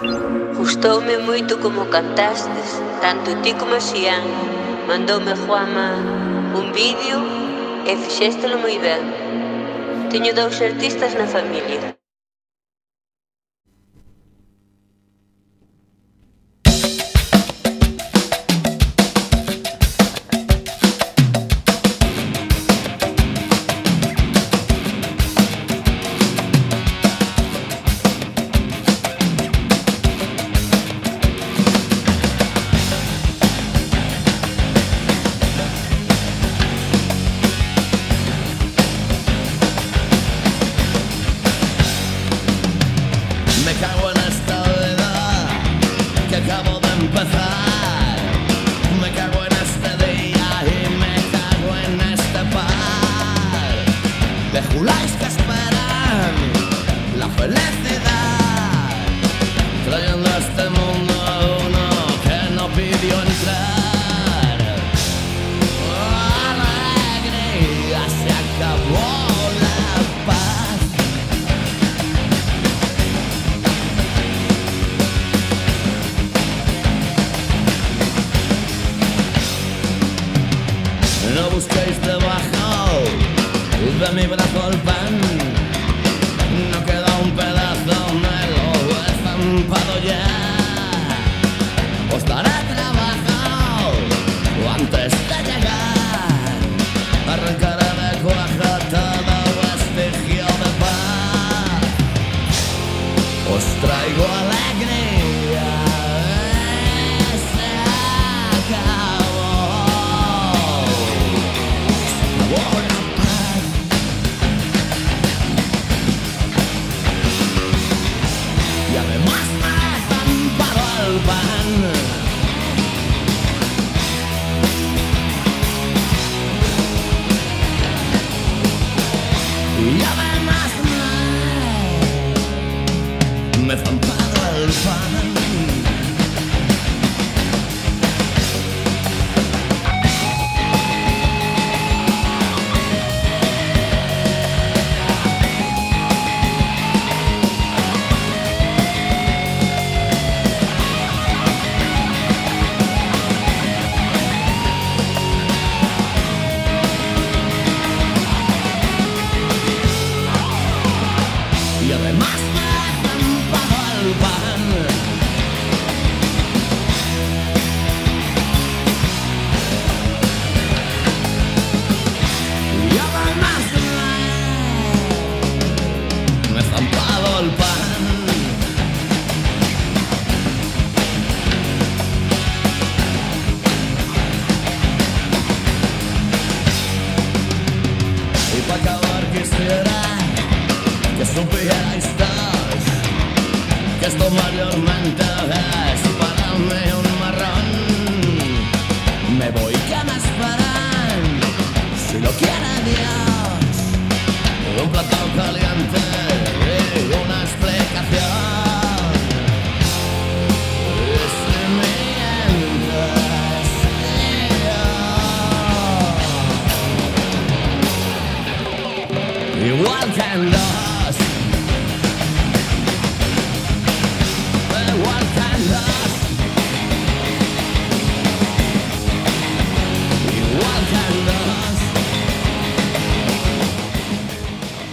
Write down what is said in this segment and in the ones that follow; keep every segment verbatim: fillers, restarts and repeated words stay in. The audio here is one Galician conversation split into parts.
Gustoume moito como cantastes, tanto ti como Xián. Mandoume Juanma un vídeo e fixéstelo moi ben. Teño dous artistas na familia.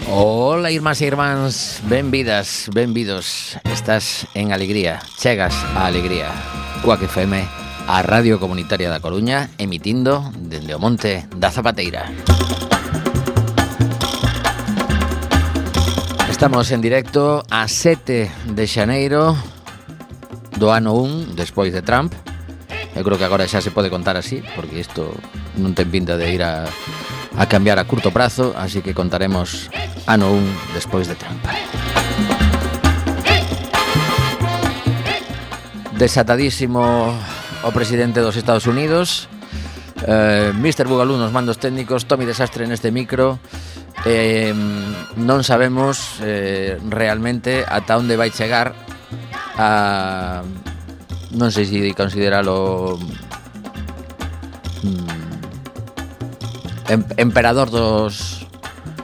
Ola, irmás e irmáns, benvidas, benvidos. Estás en Alegría, chegas a Alegría. Cuac F M, a Radio Comunitaria da Coruña, emitindo dende o Monte da Zapateira. Estamos en directo a sete de xaneiro do ano un, despois de Trump. Eu creo que agora xa se pode contar así, porque isto non ten pinta de ir a, a cambiar a curto prazo, así que contaremos ano un despois de Trump. Desatadísimo o presidente dos Estados Unidos, eh, mister Bugalú nos mandos técnicos, Tommy Desastre neste micro. Eh, non sabemos eh, realmente ata onde vai chegar a... non sei se consideralo mm, em, emperador dos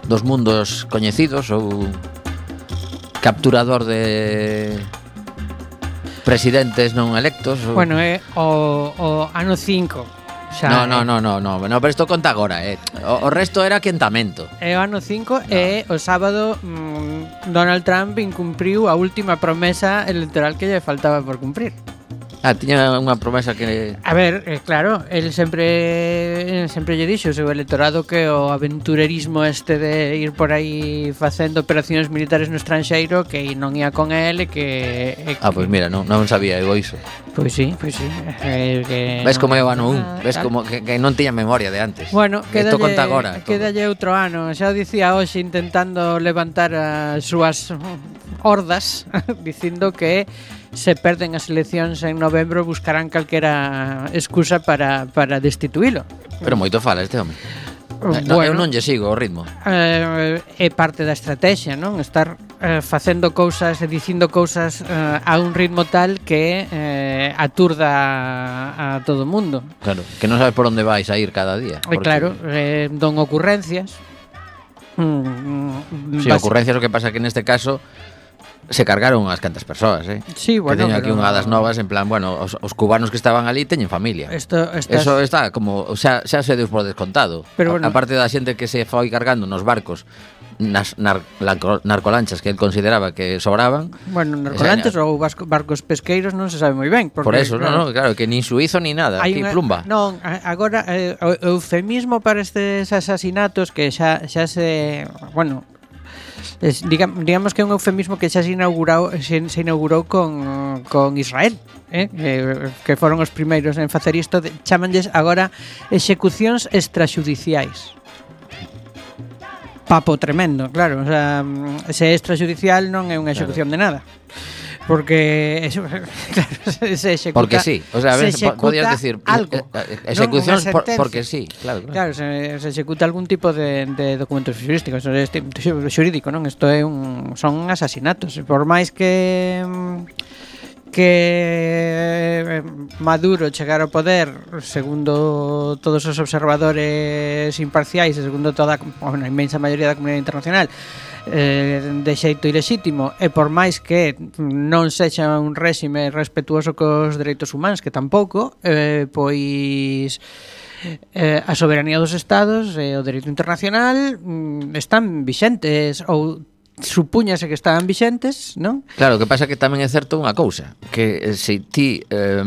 dos mundos coñecidos ou capturador de presidentes non electos. O... Bueno, é o, o ano cinco. Xa, no, no, no, no, no, no, pero isto conta agora, eh. O, o resto era quentamento. É o ano cinco no. E o sábado mmm, Donald Trump incumpriu a última promesa electoral que lle faltaba por cumprir. Ah, tiña unha promesa que... A ver, eh, claro, el sempre sempre lle dixo o seu electorado que o aventurerismo este de ir por aí facendo operacións militares no estranxeiro que non ia con el e que... E ah, pois pues mira, non, non sabía eu iso. Pois sí, pois sí. Eh, que ves non, como é o ano un, ah, ves claro. como que, que non tiña memoria de antes. Bueno, isto conta agora. Quedalle outro ano, xa o dicía hoxe intentando levantar as súas hordas dicindo que se perden as eleccións en novembro buscarán calquera excusa para, para destituílo. Pero moito fala este home. Bueno, no, eu non lle sigo o ritmo. Eh, é parte da estrategia, non? Estar eh, facendo cousas e dicindo cousas eh, a un ritmo tal que eh, aturda a, a todo o mundo. Claro, que non sabes por onde vais a ir cada día. E claro, eh, don ocurrencias. Mm, si, sí, ocurrencias, o que pasa que neste caso se cargaron as cantas persoas, eh? Sí, bueno, que teño aquí unha das novas en plan, bueno, os, os cubanos que estaban ali teñen familia. Esto, estas... Eso está como, o sea, xa se deus por descontado. Pero bueno, a, aparte da xente que se foi cargando nos barcos nas nar, narcolanchas que él consideraba que sobraban. Bueno, narcolanchas ou barcos pesqueiros non se sabe moi ben. Porque, por eso, claro, no, no, claro, que nin suizo ni nada, aquí plumba. Non, agora eh, o eufemismo para estes asasinatos que xa, xa se, bueno, Es, digamos, digamos que é un eufemismo que xa se inaugurou, se, se inaugurou con, con Israel, eh? que, que foron os primeiros en facer isto, de, chamanlles agora execucións extraxudiciais. Papo tremendo, claro, o sea, se é extraxudicial non é unha execución claro. de nada. Porque eso, claro, se executa, porque sí, o sea, a ver, podías decir algo, ejecucións por, porque sí, claro, claro. Claro, se, se executa algún tipo de, de documentos xurídicos, este xurídico, non? Isto é un son asasinatos, por máis que que Maduro chegar ao poder, segundo todos os observadores imparciais, e segundo toda bueno, a inmensa maioría da comunidade internacional, eh, de xeito ilexítimo, e por máis que non sexa un réxime respetuoso cos dereitos humanos, que tampouco, eh, pois eh, a soberanía dos estados e o dereito internacional mm, están vixentes ou supúñase que estaban vixentes, non? Claro, o que pasa que tamén é certo unha cousa, que eh, se ti eh,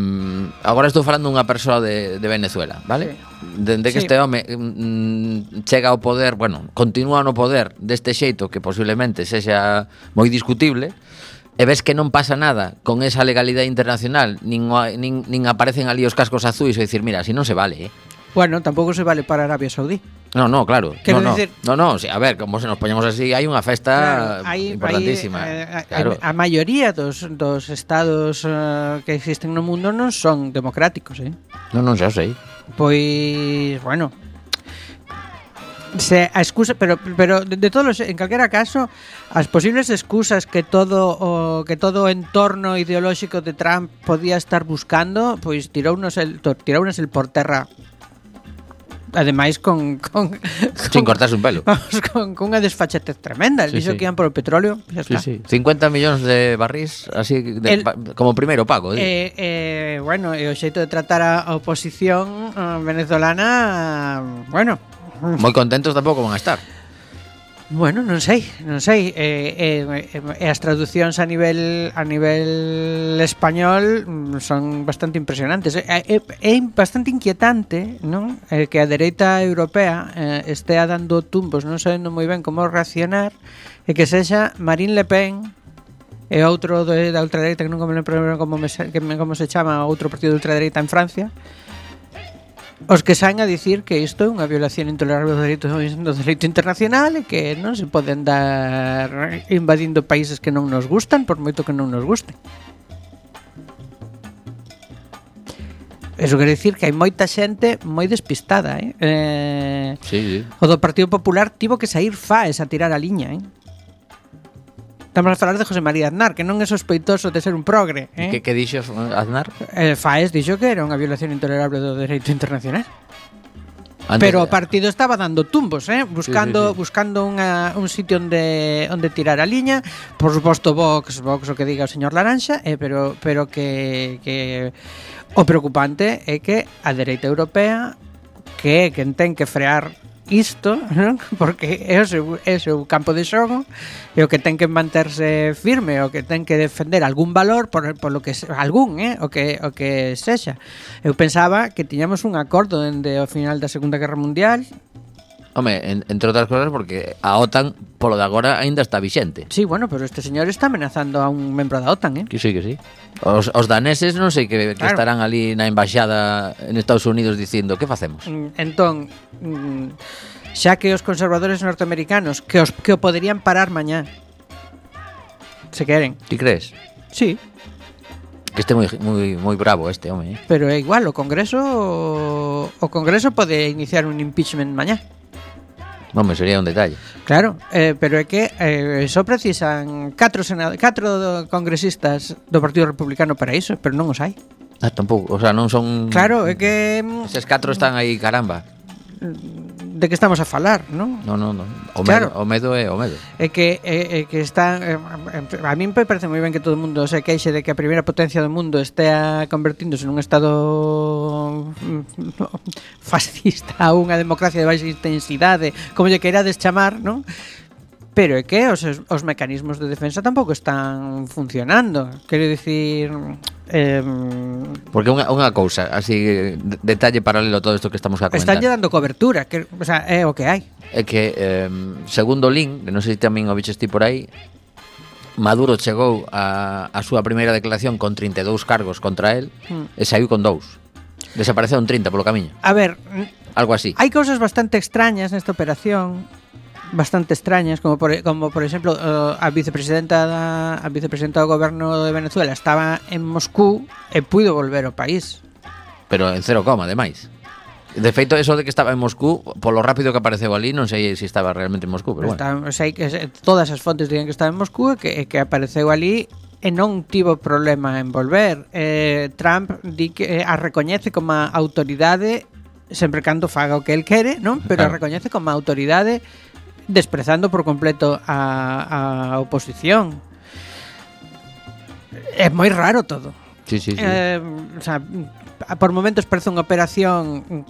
agora estou falando dunha persoa de, de Venezuela, vale? Sí. Dende que sí. este home mm, chega ao poder, bueno, continúa no poder deste xeito que posiblemente sexa moi discutible, e ves que non pasa nada con esa legalidade internacional, nin, nin, nin aparecen ali os cascos azuis e dicir, mira, así non se vale, eh? Bueno, tampouco se vale para Arabia Saudí. No, no, claro. Quero no, no. Decir... no, no, sí, a ver, como se nos poñemos así, hai unha festa claro, hay, importantísima. Hay, eh, claro. A, a maioría dos, dos estados uh, que existen no mundo non son democráticos, eh? Non, non, xa sei. Pois, bueno, se a excusa, pero pero de, de todos los, en calquera caso, as posibles excusas que todo o que todo o entorno ideolóxico de Trump podía estar buscando, pois tirounos el tirounos el por terra. Ademais con, con, con sin cortarse un pelo. Vamos, con, con unha desfachatez tremenda. El sí, dixo sí. que iban por o petróleo, xa está. Sí, sí. cincuenta millóns de barrís así de, el, pa, como primeiro pago. Eh, eh, bueno, e o xeito de tratar a oposición uh, venezolana, uh, bueno, moi contentos tampouco van a estar. Bueno, non sei, non sei. Eh, eh, eh, as traducións a nivel a nivel español son bastante impresionantes. É eh, eh, eh, bastante inquietante, non? Eh, que a dereita europea eh, estea dando tumbos, non sabendo moi ben como reaccionar, e que sexa Marine Le Pen e outro de, da ultradereita que non me lembro como, me, que me, como se chama, outro partido de ultradereita en Francia, os que saen a dicir que isto é unha violación intolerable do dereito, do dereito internacional e que non se poden dar invadindo países que non nos gustan, por moito que non nos gusten. Eso quere dicir que hai moita xente moi despistada, eh? eh sí, sí. O do Partido Popular tivo que sair Faes a tirar a liña, eh? Estamos a falar de José María Aznar, que non é sospeitoso de ser un progre, eh? Que, que dixo Aznar? Eh, Faes dixo que era unha violación intolerable do dereito internacional. Antes pero de... o partido estaba dando tumbos, eh, buscando sí, sí, sí. buscando unha, un sitio onde onde tirar a liña, por suposto Vox, Vox o que diga o señor Laranxa, eh, pero pero que que o preocupante é que a dereita europea que é quen ten que frear isto, non? Porque é o, seu, é o seu campo de xogo e o que ten que manterse firme, o que ten que defender algún valor por, por lo que algún, eh, o que o que sexa. Eu pensaba que tiñamos un acordo dende o final da Segunda Guerra Mundial. Home, en, entre outras cosas porque a OTAN polo de agora aínda está vixente. Sí, bueno, pero este señor está amenazando a un membro da OTAN, eh? Que sí, que sí. Os, os daneses non sei que, que Claro. estarán ali na embaixada en Estados Unidos dicindo que facemos. Mm, Entón, mm, xa que os conservadores norteamericanos que os que o poderían parar mañá. Se queren. Ti crees? Sí, Que este moi moi moi bravo este home, eh? pero é igual, o Congreso o Congreso pode iniciar un impeachment mañá. Home, sería un detalle. Claro, eh, pero é que eh, só precisan catro senado, catro congresistas do Partido Republicano para iso, pero non os hai. Ah, tampouco, o sea, non son... Claro, é que mm, Eses catro están aí, caramba. de que estamos a falar, non? Non, non, non. O Claro. medo, o medo é o medo. É que é, é que está é, a mí me parece moi ben que todo o mundo se queixe de que a primeira potencia do mundo estea convertíndose nun estado mm, fascista a unha democracia de baixa intensidade, como lle queirades chamar, non? Pero é que os, os mecanismos de defensa tampouco están funcionando. Quero dicir, eh, Porque unha, unha cousa, así, de- detalle paralelo a todo isto que estamos a comentar. están lle dando cobertura, que, o sea, é o que hai. É que, eh, segundo Lin, que non sei se tamén o biches ti por aí, Maduro chegou a, a súa primeira declaración con trinta e dous cargos contra él Mm. e saiu con dous. Desapareceu un trinta polo camiño. A ver, Algo así. hai cousas bastante extrañas nesta operación, bastante extrañas, como por, como por exemplo uh, a vicepresidenta da, a vicepresidenta do goberno de Venezuela estaba en Moscú e puido volver ao país. Pero en cero coma, ademais. De feito, eso de que estaba en Moscú, polo rápido que apareceu ali, non sei se estaba realmente en Moscú, pero bueno. Está, sei que se- todas as fontes digan que estaba en Moscú e que, e que apareceu ali e non tivo problema en volver. Eh, Trump di que eh, a recoñece como a autoridade sempre cando faga o que el quere, non? Pero a Claro. recoñece como a autoridade desprezando por completo a, a oposición. É moi raro todo. Sí, sí, sí. Eh, o sea, por momentos parece unha operación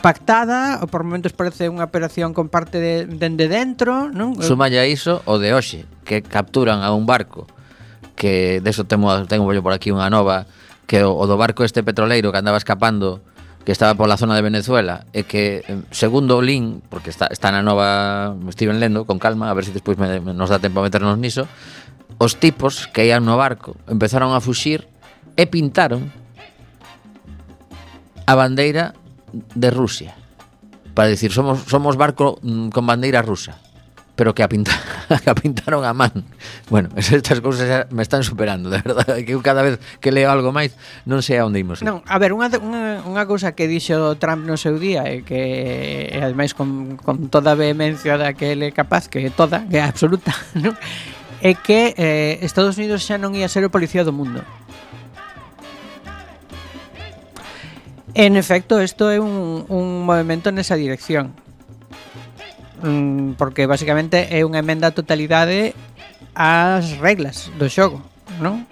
pactada, ou por momentos parece unha operación con parte de, dende dentro, non? Sumalle a iso o de hoxe, que capturan a un barco, que deso temo, tengo yo por aquí unha nova, que o, o do barco este petroleiro que andaba escapando, que estaba pola zona de Venezuela, e que, eh, segundo o Lin, porque está, está na nova, me estiven lendo con calma, a ver se despois me, me nos dá tempo a meternos niso, os tipos que ian no barco empezaron a fuxir e pintaron a bandeira de Rusia, para dicir, somos somos barco mm, con bandeira rusa, pero que a, pinta, que a pintaron a man. Bueno, estas cousas xa me están superando, de verdade, que eu cada vez que leo algo máis non sei a onde imos. Non, a ver, unha, unha, unha cousa que dixo Trump no seu día e que, e ademais con, con toda a vehemencia da que ele é capaz, que é toda, que é absoluta, non? É que eh, Estados Unidos xa non ia ser o policía do mundo. En efecto, isto é un, un movimento nesa dirección. Mm, porque basicamente é unha emenda á totalidade ás reglas do xogo, non?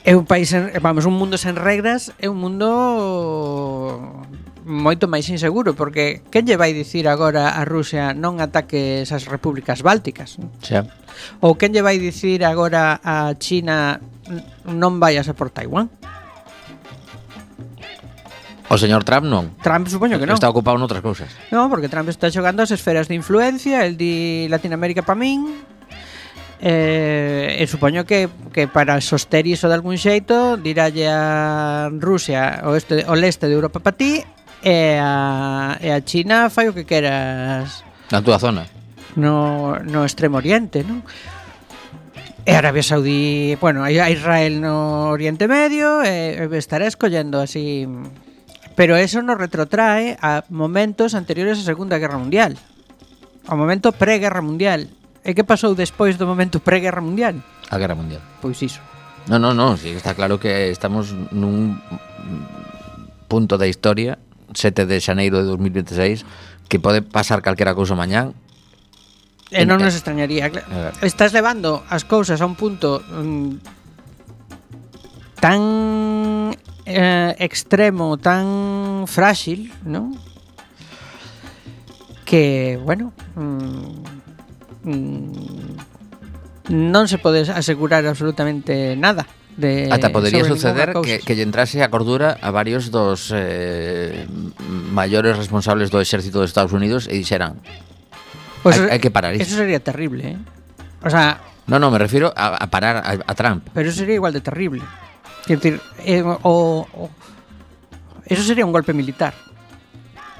É un país, en, vamos, un mundo sen regras é un mundo moito máis inseguro, porque quen lle vai dicir agora a Rusia non ataque esas repúblicas bálticas? Xa. Ou quen lle vai dicir agora a China non vayas a por Taiwán? O señor Trump non. Trump supoño que non. Está ocupado noutras cousas. No, porque Trump está xogando as esferas de influencia, el di Latinoamérica pa min. Eh, e supoño que, que para soster iso de algún xeito diralle a Rusia o, este, o leste de Europa pa ti e a, e a China fai o que queras Na túa zona. no, no extremo oriente, non? E Arabia Saudí, bueno, a Israel no Oriente Medio e, e estará escollendo así. Pero eso nos retrotrae a momentos anteriores á Segunda Guerra Mundial, ao momento pré-Guerra Mundial. E que pasou despois do momento pré-Guerra Mundial? A Guerra Mundial. Pois iso. No, no, no, sí, está claro que estamos nun punto da historia sete de xaneiro de dos mil veintiséis, que pode pasar calquera cousa mañán. E non nos extrañaría. Estás levando as cousas a un punto mm, tan eh, extremo, tan frágil, ¿no? Que, bueno, mm, mm, non se pode asegurar absolutamente nada. De, Ata podería suceder que, que lle entrase a cordura a varios dos eh, maiores responsables do exército dos Estados Unidos e dixeran pues hai, hai que parar isto. Eso sería terrible, ¿eh? O sea... No, no, me refiero a, a parar a, a Trump. Pero eso sería igual de terrible. Quiero decir, eh, o, o, eso sería un golpe militar.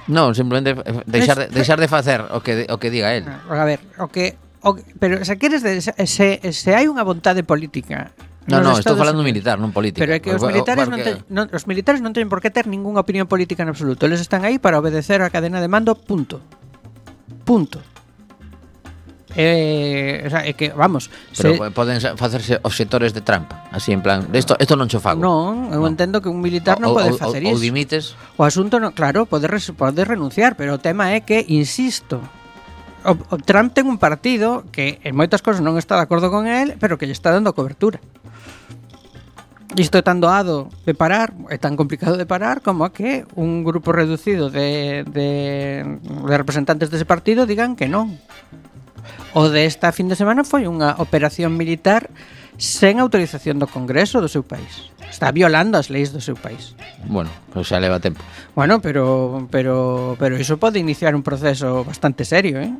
No, simplemente deixar de, deixar de facer o que, o que diga él. A ver, o que... O, pero, o sea, queres de, se, se hai unha vontade política... No, no, estou falando militar, non política. Pero é que os militares, porque... non te, non, os militares non teñen por que ter ningunha opinión política en absoluto. Eles están aí para obedecer a cadena de mando, punto. Punto. Eh, o sea, é que, vamos... Pero se... poden facerse obxectores de Trump, así en plan, isto isto non cho fago. Non, eu no. entendo que un militar non o, pode o, facer o, iso. Ou dimites. O asunto, no, claro, pode, res, pode renunciar, pero o tema é que, insisto, o, o Trump ten un partido que en moitas cosas non está de acordo con él, pero que lle está dando cobertura. Isto é tan doado de parar, é tan complicado de parar como a que un grupo reducido de, de, de representantes dese partido digan que non. O de esta fin de semana foi unha operación militar sen autorización do Congreso do seu país. Está violando as leis do seu país. Bueno, pois xa leva tempo. Bueno, pero pero pero iso pode iniciar un proceso bastante serio, eh?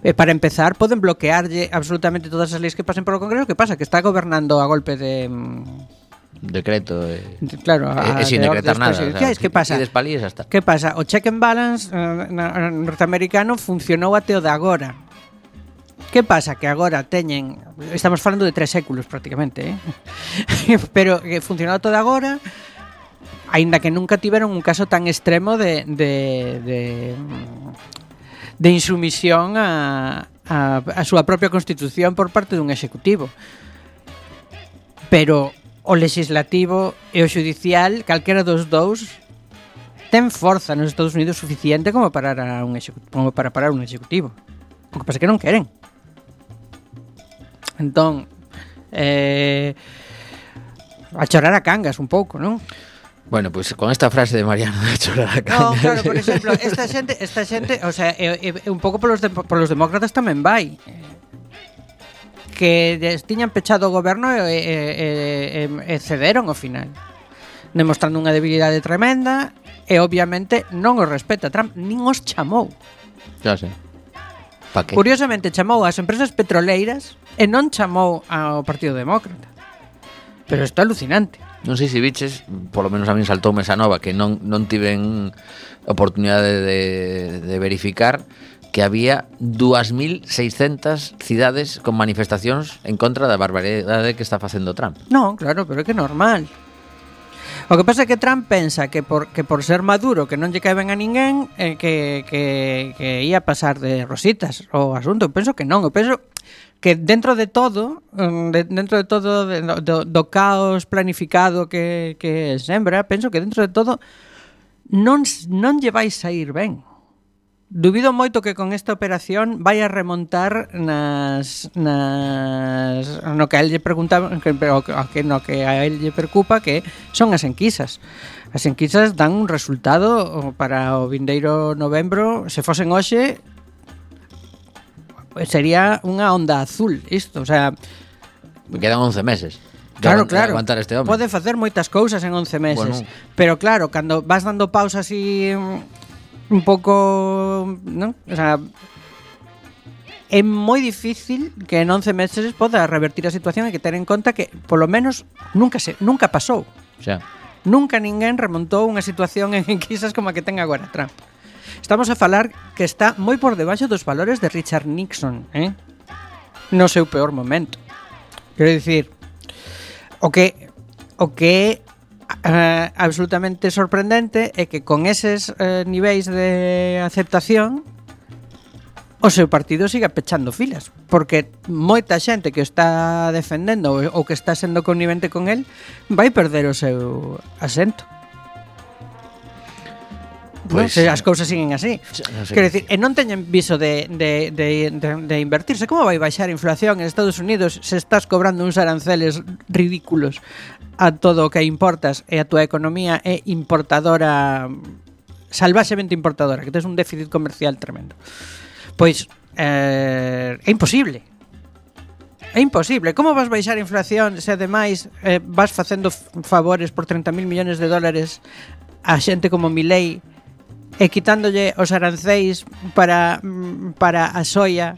Eh, para empezar, poden bloquearlle absolutamente todas as leis que pasen polo Congreso. Que pasa? Que está gobernando a golpe de... Decreto e... De, claro, a, e, e sin decretar nada. O sea, que pasa? Hasta. Que pasa? O check and balance eh, norteamericano funcionou até o de agora. Que pasa? Que agora teñen... Estamos falando de tres séculos prácticamente, eh? Pero que funcionou até o de agora... Aínda que nunca tiveron un caso tan extremo de... de, de de insumisión a, a, a súa propia constitución por parte dun executivo. Pero o legislativo e o judicial, calquera dos dous, ten forza nos Estados Unidos suficiente como, parar a un como para parar un executivo. O que pasa é que non queren. Entón, eh, a chorar a cangas un pouco, non? Bueno, pois pues con esta frase de Mariano de chorar a cangas. No, claro, por exemplo, esta xente, esta xente, o sea, e, e, un pouco polos de, polos demócratas tamén vai. Que tiñan pechado o goberno e, e, e, e cederon ao final, demostrando unha debilidade tremenda e obviamente non os respeta Trump, nin os chamou. Ya sei. Pa que? Curiosamente chamou ás empresas petroleiras e non chamou ao Partido Demócrata. Pero isto é alucinante. Non sei se biches, polo menos a min saltoume esa nova que non, non tiven oportunidade de, de verificar, que había dúas mil seiscentas cidades con manifestacións en contra da barbaridade que está facendo Trump. Non, claro, pero é que é normal. O que pasa é que Trump pensa que por, que por ser maduro, que non lle cae ben a ninguén, eh, que, que, que ia pasar de rositas o asunto. Eu penso que non, eu penso que dentro de todo, de, dentro de todo de, do, do caos planificado que, que sembra, penso que dentro de todo non, non lle vai sair ben. Dubido moito que con esta operación vai a remontar nas, nas no que a él lle preguntaba, que, que no que a él lle preocupa, que son as enquisas. As enquisas dan un resultado para o vindeiro novembro, se fosen hoxe, sería unha onda azul isto, o sea, me quedan once meses. Claro, claro. Este pode facer moitas cousas en once meses, bueno. Pero claro, cando vas dando pausas así un pouco, ¿no? O sea, é moi difícil que en once meses poda revertir a situación e que ter en conta que polo menos nunca se nunca pasou. O sea, nunca ninguén remontou unha situación en enquisas como a que ten agora Trump. Estamos a falar que está moi por debaixo dos valores de Richard Nixon, eh? No seu peor momento. Quero dicir, o que o que é uh, absolutamente sorprendente é que con eses uh, niveis de aceptación o seu partido siga pechando filas, porque moita xente que está defendendo ou que está sendo connivente con el vai perder o seu asento. Pues, Pois, no? Se as cousas siguen así. non sei. Quero dicir, e non teñen viso de, de, de, de, de invertirse. Como vai baixar a inflación en Estados Unidos se estás cobrando uns aranceles ridículos a todo o que importas e a tua economía é importadora, salvaxemente importadora, que tes un déficit comercial tremendo? Pois eh, é imposible. É imposible. Como vas baixar a inflación se ademais eh, vas facendo favores por treinta mil millones de dólares a xente como Milei e quitándolle os aranceis para, para a soia,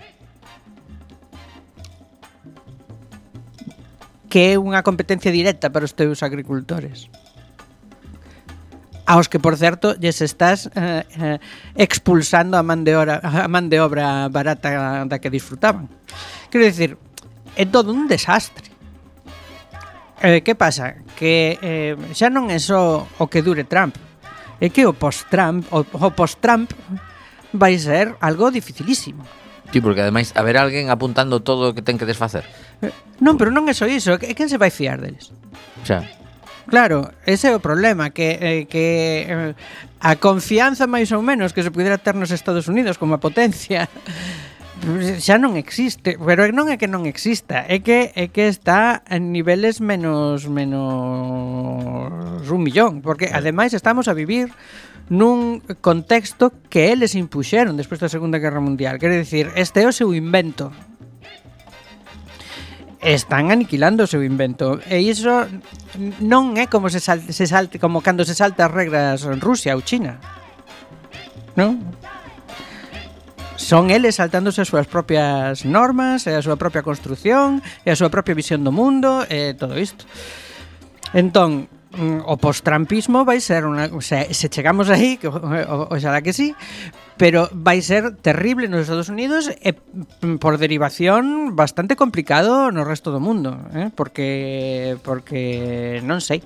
que é unha competencia directa para os teus agricultores, aos que, por certo, lles estás eh, eh, expulsando a man de obra, a man de obra barata da que disfrutaban. Quero dicir, é todo un desastre. Eh, que pasa? Que eh, xa non é só o que dure Trump, é que o post-Trump o, o post-Trump vai ser algo dificilísimo. Sí, porque ademais haber alguén apuntando todo o que ten que desfacer. Eh, non, pero non é só iso, que quen se vai fiar deles? O sea, claro, ese é o problema, que, eh, que eh, a confianza máis ou menos que se pudera ter nos Estados Unidos como a potencia xa non existe, pero non é que non exista, é que é que está en niveles menos menos un millón, porque ademais estamos a vivir nun contexto que eles impuxeron despois da Segunda Guerra Mundial. Quero dicir, este é o seu invento. Están aniquilando o seu invento e iso non é como se salte, se salte como cando se salta as regras en Rusia ou China, non? Son eles saltándose as súas propias normas e a súa propia construción e a súa propia visión do mundo e todo isto. Entón, o post-trumpismo vai ser unha, o sea, se chegamos aí, que oxalá que sí, pero vai ser terrible nos Estados Unidos e por derivación bastante complicado no resto do mundo, eh? porque porque non sei.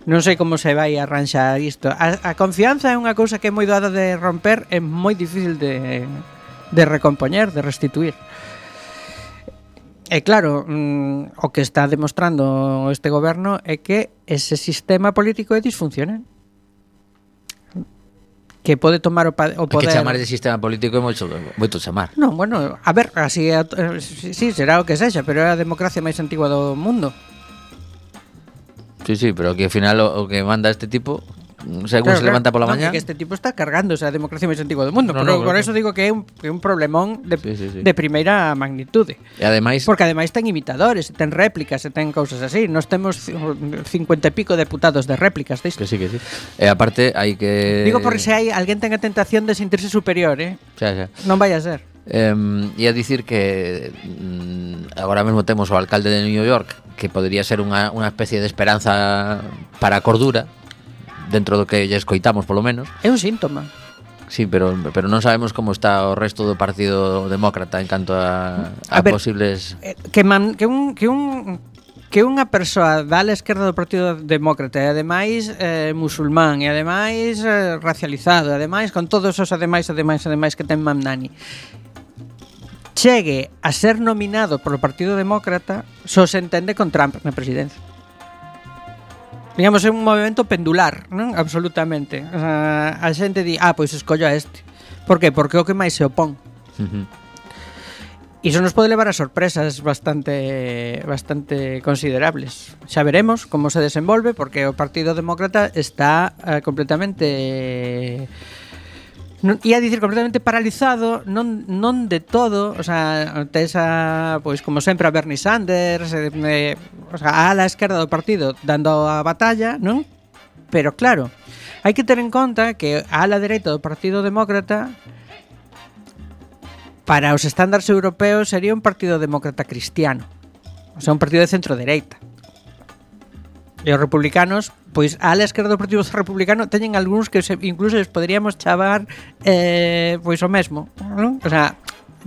Non sei como se vai arranxar isto. A, a confianza é unha cousa que é moi doada de romper, é moi difícil de de recompoñer, de restituir. E claro, mmm, o que está demostrando este goberno é que ese sistema político é disfuncional, que pode tomar o, pa- o poder. que chamar de sistema político é moito, moito chamar. Non, bueno, a ver, así é, eh, sí, será o que sexa, pero é a democracia máis antigua do mundo. Sí, sí, pero que ao final o, o que manda este tipo, según claro, se levanta pola claro, mañá, no, que este tipo está cargándose a democracia máis antigua do mundo, no, pero no, por claro. eso digo que é un, que é un problemón de, sí, sí, sí. de primeira magnitude. E ademais, porque ademais ten imitadores, ten réplicas, e ten cousas así. Nós temos cincuenta e pico deputados de réplicas disto. que sí, que sí. E aparte hai que Digo porque se hai alguén ten a tentación de sentirse superior, eh? xa, xa. Non vai a ser. Eh, e a dicir que mm, agora mesmo temos o alcalde de New York, que podría ser unha, unha especie de esperanza para a cordura, dentro do que lle escoitamos polo menos. É un síntoma. Sí, pero pero non sabemos como está o resto do Partido Demócrata en canto a, a, A ver, posibles eh, que, man, que un que un que unha persoa da ala esquerda do Partido Demócrata e ademais eh, musulmán e ademais eh, racializado, e ademais con todos os ademais ademais ademais que ten Mamdani, chegue a ser nominado polo Partido Demócrata, só se entende con Trump na presidencia. Digamos, é un movimento pendular, non? Absolutamente. O sea, a xente di, ah, pois escollo a este. Por que? Porque é o que máis se opón. uh-huh. Iso nos pode levar a sorpresas bastante bastante considerables. Xa veremos como se desenvolve, porque o Partido Demócrata está eh, completamente... Non, ia dicir completamente paralizado, non, non de todo, o sea, tes a, pois como sempre a Bernie Sanders, eh, eh, o sea, a ala esquerda do partido dando a batalla, non? Pero claro, hai que ter en conta que a ala dereita do Partido Demócrata, para os estándares europeos, sería un Partido Demócrata cristiano, o sea, un partido de centro-dereita. E os republicanos, pois a ala esquerda do Partido Republicano teñen algúns que se, incluso les poderíamos chamar eh, pois o mesmo, non? O sea,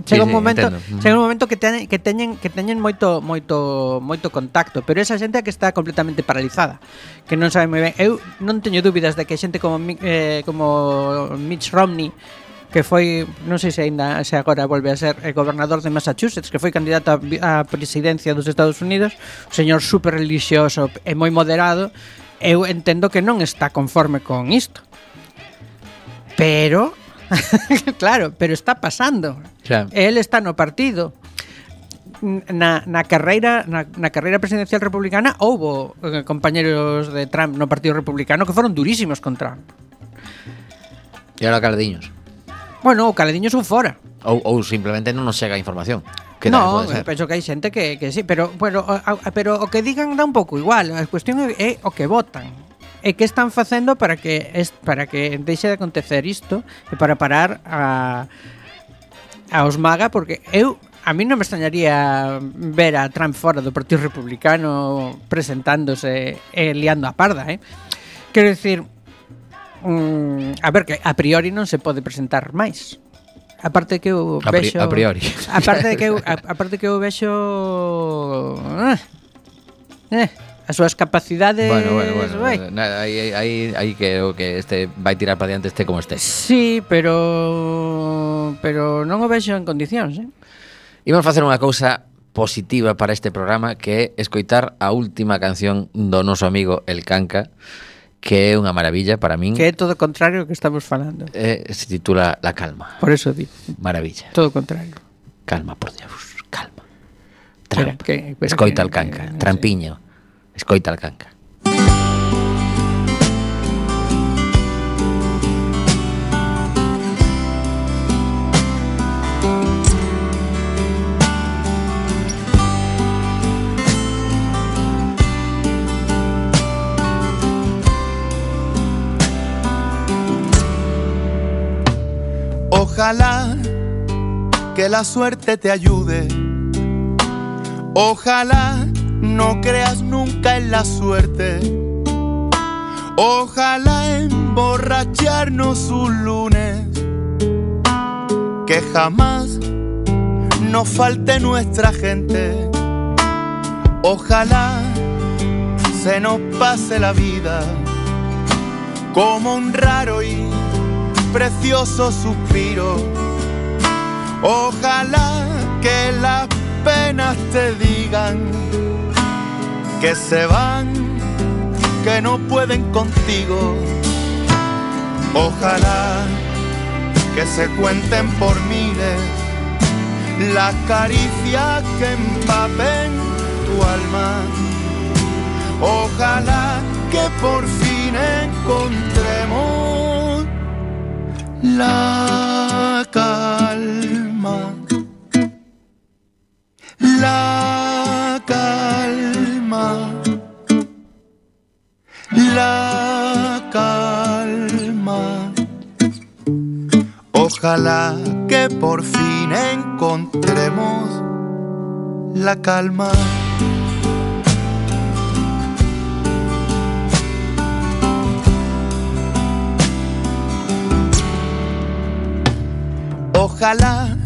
chega sí, un momento, sí, chega un momento que teñen que teñen que teñen moito moito moito contacto, pero esa xente é que está completamente paralizada, que non sabe moi ben. Eu non teño dúbidas de que xente como eh, como Mitch Romney, que foi, non sei se ainda se agora volve a ser el gobernador de Massachusetts, que foi candidato a, a presidencia dos Estados Unidos, un señor super religioso e moi moderado, eu entendo que non está conforme con isto. Pero claro, pero está pasando. Xa. El está no partido. Na, na carreira na, na carreira presidencial republicana houbo eh, compañeros de Trump no Partido Republicano que foron durísimos con Trump. E ahora caladiños. Bueno, o caladiños ou fora. Ou, ou simplemente non nos chega a información. Que No, tamén pode ser. penso que hai xente que, que sí, pero, bueno, a, a, pero o que digan dá un pouco igual. A cuestión é, é o que votan. E que están facendo para que es, para que deixe de acontecer isto e para parar a aos MAGA, porque eu a mí non me extrañaría ver a Trump fora do Partido Republicano presentándose e liando a parda, eh? Quero dicir, mm, a ver, que a priori non se pode presentar máis. Aparte que eu A, pri vexo a priori. Aparte de que eu, a, aparte que eu vexo eh, eh, as súas capacidades. Bueno, bueno, bueno. Vai. Nada, aí, aí, aí que o que este vai tirar para diante este como este. Sí, pero pero non o vexo en condicións, eh? Imos facer unha cousa positiva para este programa, que é escoitar a última canción do noso amigo El Canca, que é unha maravilla para min. Que é todo o contrario que estamos falando. Eh, se titula La Calma. Por eso di. Maravilla. Todo o contrario. Calma, por Dios, calma. Espera, Trump. que- espera Escoita que- El Canca. que- no sé. Trampiño. Escoita El Canca. Ojalá que la suerte te ayude. Ojalá no creas nunca en la suerte. Ojalá emborracharnos un lunes, que jamás nos falte nuestra gente. Ojalá se nos pase la vida como un raro y precioso suspiro. Ojalá que las penas te digan que se van, que no pueden contigo. Ojalá que se cuenten por miles las caricias que empapen tu alma. Ojalá que por fin encontremos la calma, la calma, la calma. Ojalá que por fin encontremos la calma. Ojalá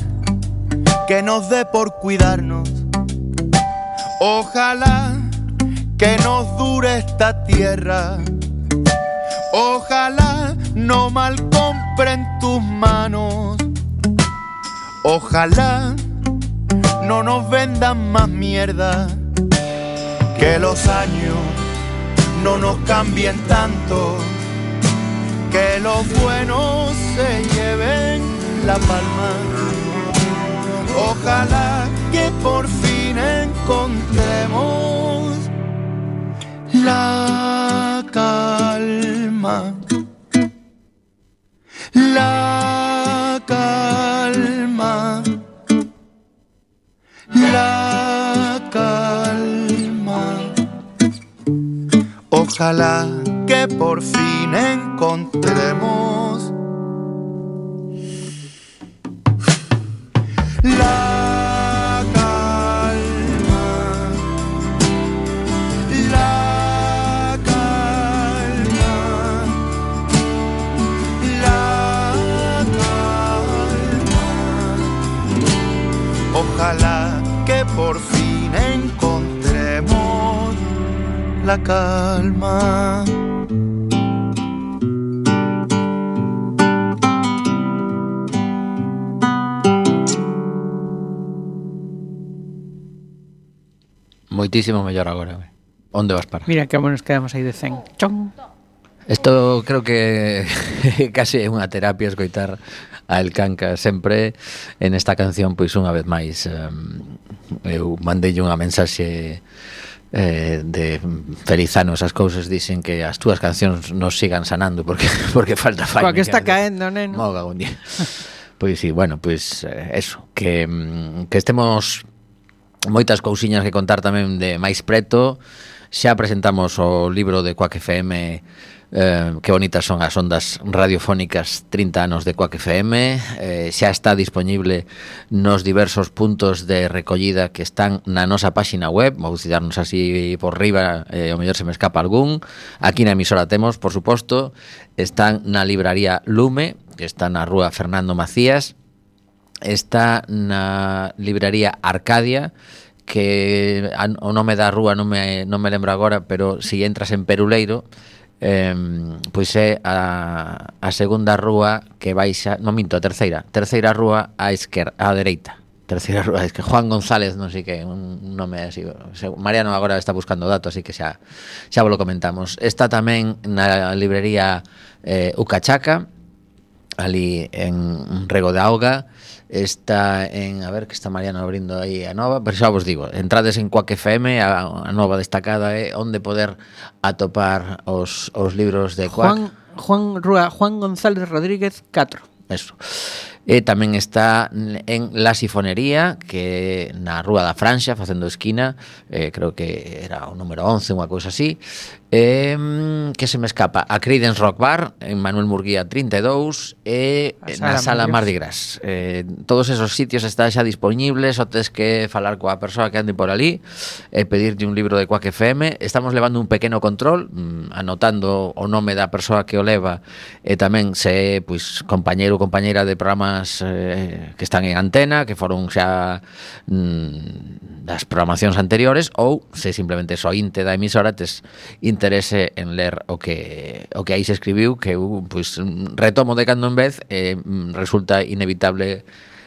que nos dé por cuidarnos. Ojalá que nos dure esta tierra. Ojalá no mal compren tus manos. Ojalá no nos vendan más mierda. Que los años no nos cambien tanto. Que los buenos se lleven la palma. Ojalá que por fin encontremos la calma, la calma, la calma. Ojalá que por fin encontremos la calma, la calma, la calma. Ojalá que por fin encontremos la calma. Moitísimo mellor agora. Onde vas parar? Mira que nos quedamos aí de cen. Chon. Isto creo que casi é unha terapia escoitar a El Canca sempre en esta canción, pois unha vez máis um, eu mandei unha mensaxe eh, de feliz ano, esas cousas dicen que as túas cancións nos sigan sanando porque porque falta faina. Coa que está caendo, neno. Moga un día. Pois sí, bueno, pois eh, eso, que que estemos moitas cousiñas que contar tamén de máis preto. Xa presentamos o libro de Quack F M. Eh, que bonitas son as ondas radiofónicas, trinta anos de Quack F M. eh, xa está disponible nos diversos puntos de recollida que están na nosa páxina web. Vou citarnos así por riba, eh, o mellor se me escapa algún. Aquí na emisora temos, por suposto, están na libraría Lume, que está na rúa Fernando Macías, está na libraría Arcadia, que o nome da rúa non me, non me lembro agora, pero si entras en Peruleiro, Eh, pois é a, a segunda rúa que baixa, non minto, a terceira terceira rúa á esquerda, á dereita, terceira rúa, es que Juan González, non sei que, un nome así. Mariano agora está buscando datos, así que xa xa vos lo comentamos. Está tamén na librería eh, Ucachaca, ali en Rego de Auga. Está en, a ver, que está Mariano abrindo aí a nova, pero xa vos digo, entrades en Quack F M, a, a nova destacada é onde poder atopar os, os libros de Quack. Juan, Juan Rúa, Juan González Rodríguez catro. Eso. E tamén está en La Sifonería, que na Rúa da Franxa, facendo esquina, eh, creo que era o número once, unha cousa así. Eh, que se me escapa, a Creedence Rock Bar en Manuel Murguía trinta e dous e na Sala Mardi Gras. Eh, todos esos sitios están xa disponibles, só tes que falar coa persoa que ande por ali e pedirlle un libro de Quack F M. Estamos levando un pequeno control, mm, anotando o nome da persoa que o leva e tamén se pois compañeiro ou compañeira de programas eh, que están en antena, que foron xa mm, das programacións anteriores, ou se simplemente so inte da emisora tes interese en ler o que o que aí se escribiu, que eu pois retomo de cando en vez e eh, resulta inevitable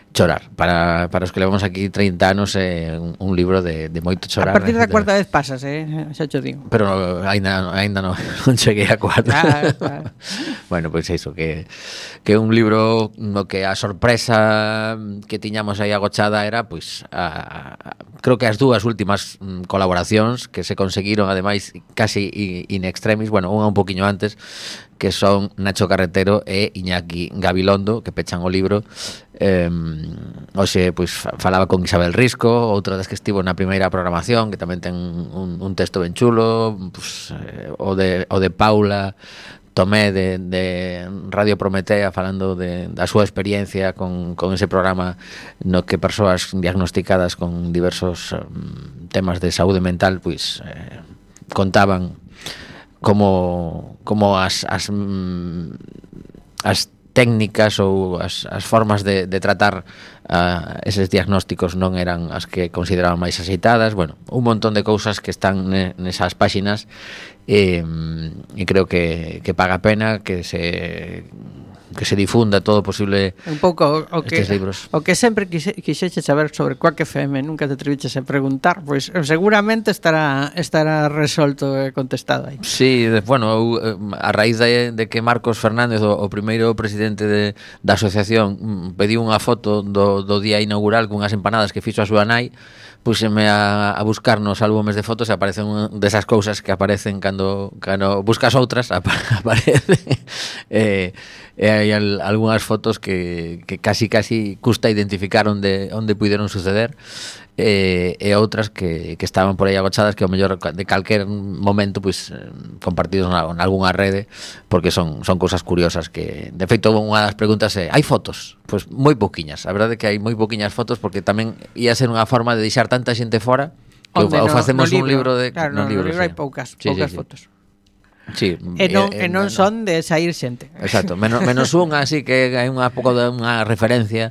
chorar. Para, para os que levamos aquí trinta anos é eh, un, un libro de, de moito chorar. A partir da cuarta vez pasas, eh? xa cho digo. Pero aínda aínda non, non cheguei a cuarta. Claro, claro. Bueno, pois pues iso, que que un libro no que a sorpresa que tiñamos aí agochada era, pois, pues, a, a, creo que as dúas últimas mm, colaboracións que se conseguiron, ademais, casi in extremis, bueno, unha un poquinho antes, que son Nacho Carretero e Iñaki Gabilondo, que pechan o libro. Eh, hoxe, pois, falaba con Isabel Risco, outra das que estivo na primeira programación, que tamén ten un, un texto ben chulo, pois, eh, o, de, o de Paula Tomé de, de Radio Prometea, falando de, da súa experiencia con, con ese programa no que persoas diagnosticadas con diversos um, temas de saúde mental pois eh, contaban como como as as, as técnicas ou as, as formas de, de tratar uh, eses diagnósticos non eran as que consideraban máis axeitadas. Bueno, un montón de cousas que están nesas páxinas e, e creo que, que paga pena que se que se difunda todo posible un pouco o que, estes libros. O que sempre quise, quixeche saber sobre Quack F M, nunca te atreviches a preguntar, pois seguramente estará estará resolto e contestado aí. Sí, bueno, eu, a raíz de, de que Marcos Fernández, o, o primeiro presidente de, da asociación, pediu unha foto do, do día inaugural cunhas empanadas que fixo a súa nai, puxeme a, a buscar nos álbumes de fotos e aparecen desas cousas que aparecen cando, cando buscas outras, aparecen e, e hai al, algunhas fotos que, que casi casi custa identificar onde, onde puideron suceder e, e outras que, que estaban por aí agochadas que ao mellor de calquer momento pois compartidos na, na algunha rede, porque son, son cousas curiosas que, de feito, unha das preguntas é, hai fotos? Pois moi pouquiñas, a verdade é que hai moi pouquiñas fotos, porque tamén ia ser unha forma de deixar tanta xente fora que o, no, o facemos no un libro de claro, no, no, libro, no libro sí. hai poucas, sí, poucas sí, sí. fotos. Sí, e non, e, e non no, son de saír xente. Exacto, menos, menos unha, así que hai unha pouco de unha referencia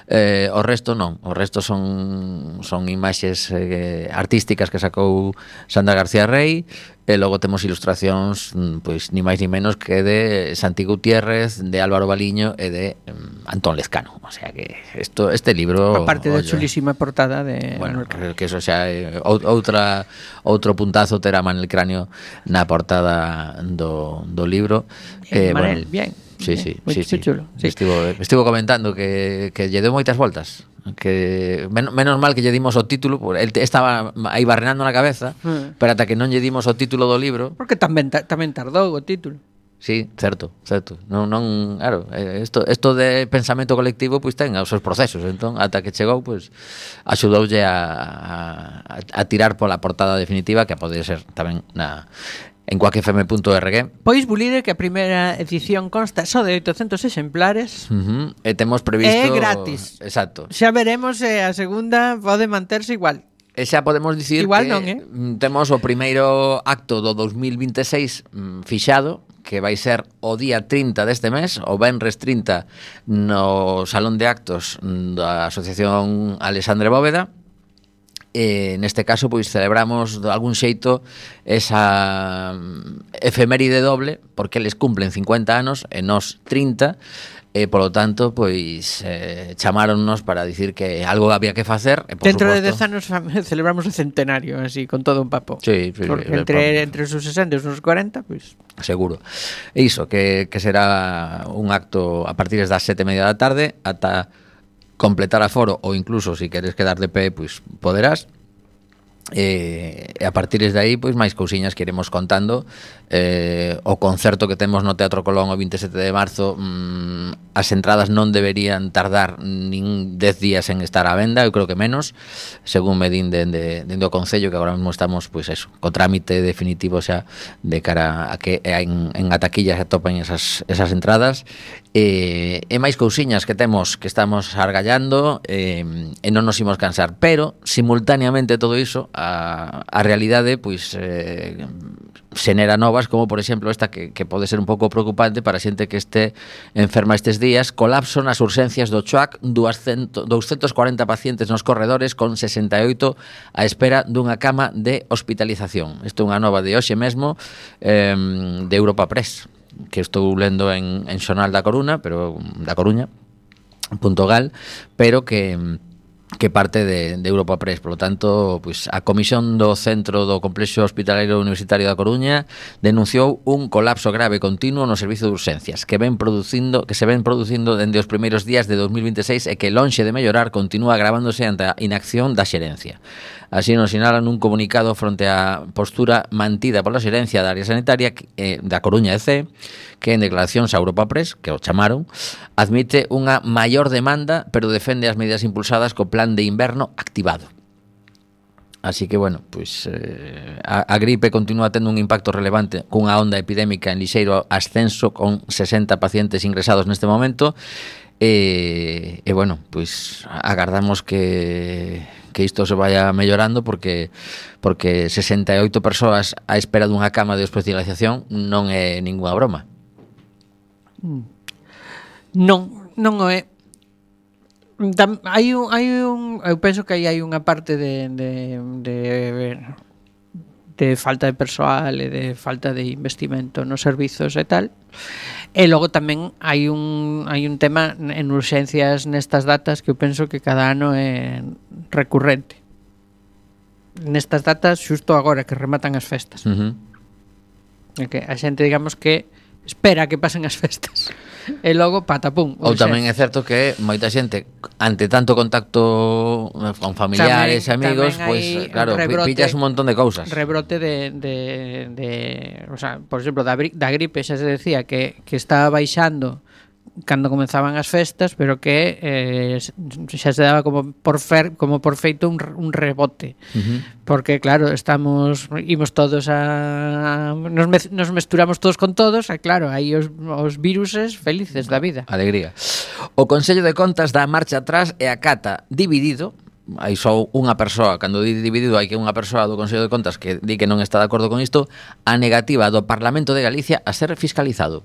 Eh, o resto non, o resto son son imaxes eh, artísticas que sacou Sandra García Rey, e logo temos ilustracións pois ni máis ni menos que de Santi Gutiérrez, de Álvaro Baliño e de um, Antón Lezcano. O sea que esto, este libro, aparte da oye, chulísima portada de bueno, Manuel que eso xa é outra outro puntazo terá Manuel Cráneo na portada do, do libro. Eh, Manel, bueno, bien. Sí, bien, sí, muy, sí, muy sí. chulo. Sí. Estivo, estivo comentando que, que lle deu moitas voltas, que men, menos mal que lle dimos o título, porque el estaba aí barrenando na cabeza, Mm. pero ata que non lle dimos o título do libro. Porque tamén ta, tamén tardou o título. Sí, certo, certo. Non, non, claro, isto, isto de pensamento colectivo pois ten os seus procesos, entón ata que chegou, pois axudoulle a, a, a tirar pola portada definitiva, que pode ser tamén na en quack f m punto org. Pois bulire que a primeira edición consta só de oitocentos exemplares. Uh-huh. E temos previsto... É gratis. Exacto. Xa veremos se a segunda pode manterse igual. E xa podemos dicir igual que non, eh? temos o primeiro acto do dos mil vinte e seis mm, fixado, que vai ser o día trinta deste mes, o venres trinta, no Salón de Actos da Asociación Alexandre Bóveda. E neste caso pois celebramos de algún xeito esa efeméride doble, porque eles cumplen cincuenta anos e nós trinta, e polo tanto pois eh, chamáronnos para dicir que algo había que facer e, por dentro suposto, de dez anos celebramos o centenario así, con todo un papo. Sí, sí, porque sí, entre, entre os sesenta e os cuarenta pois seguro. E iso, que, que será un acto a partir das sete e media da tarde ata completar aforo, ou incluso se si queres quedar de pé, pois poderás. E, e a partir de aí, pois máis cousiñas que iremos contando. Eh, o concerto que temos no Teatro Colón o vinte e sete de marzo, mmm, as entradas non deberían tardar nin dez días en estar á venda, eu creo que menos, según me din dende de, de, de o Concello, que agora mesmo estamos, pois eso, co trámite definitivo xa de cara a que en, en a taquilla se atopen esas, esas entradas. E, e máis cousiñas que temos que estamos argallando, e, e non nos imos cansar, pero simultaneamente todo iso, a, a realidade pois eh, xenera novas, como por exemplo esta que, que pode ser un pouco preocupante para a xente que este enferma estes días: colapso nas urxencias do Chuac, doscientos cuarenta pacientes nos corredores con sesenta e oito á espera dunha cama de hospitalización. Isto é unha nova de hoxe mesmo, eh, de Europa Press, que estou lendo en, en Xornal da Coruña, pero da Coruña punto gal, pero que que parte de, de Europa Press. Por lo tanto, pues, a Comisión do Centro do Complexo Hospitalario Universitario da Coruña denunciou un colapso grave continuo no servizo de urxencias que ven producindo que se ven producindo dende os primeiros días de dos mil vinte e seis e que, lonxe de mellorar, continúa agravándose ante a inacción da xerencia. Así nos sinalan un comunicado fronte á postura mantida pola xerencia da área sanitaria eh, da Coruña E C, que en declaracións a Europa Press, que o chamaron, admite unha maior demanda, pero defende as medidas impulsadas co plan de inverno activado. Así que, bueno, pues, eh, a, a gripe continúa tendo un impacto relevante cunha onda epidémica en lixeiro ascenso, con sesenta pacientes ingresados neste momento. E, e bueno, pues agardamos que que isto se vaya mellorando, porque porque sesenta e oito persoas á espera dunha cama de hospitalización non é ningunha broma. Non, non o é. Tam, hai un, hai un, eu penso que aí hai unha parte de, de, de, de falta de persoal e de falta de investimento nos servizos e tal. E logo tamén hai un hai un tema en urxencias nestas datas que eu penso que cada ano é recurrente. Nestas datas, xusto agora que rematan as festas. Uh-huh. É que a xente, digamos, que espera que pasen as festas. E logo, patapum. Ou tamén é certo que moita xente, ante tanto contacto con familiares e amigos, pois, pues, claro, rebrote, pillas un montón de cousas. Rebrote de, de, de o sea, por exemplo, da, da gripe xa se decía que, que estaba baixando cando comenzaban as festas, pero que eh, xa se daba como por fer, como por feito un, un rebote. Uh-huh. Porque claro, estamos imos todos a nos, me, nos mesturamos todos con todos, e claro, aí os, os viruses felices da vida. Alegría. O Consello de Contas dá marcha atrás e acata dividido. Hai só unha persoa, cando di dividido hai que unha persoa do Consello de Contas que di que non está de acordo con isto, a negativa do Parlamento de Galicia a ser fiscalizado.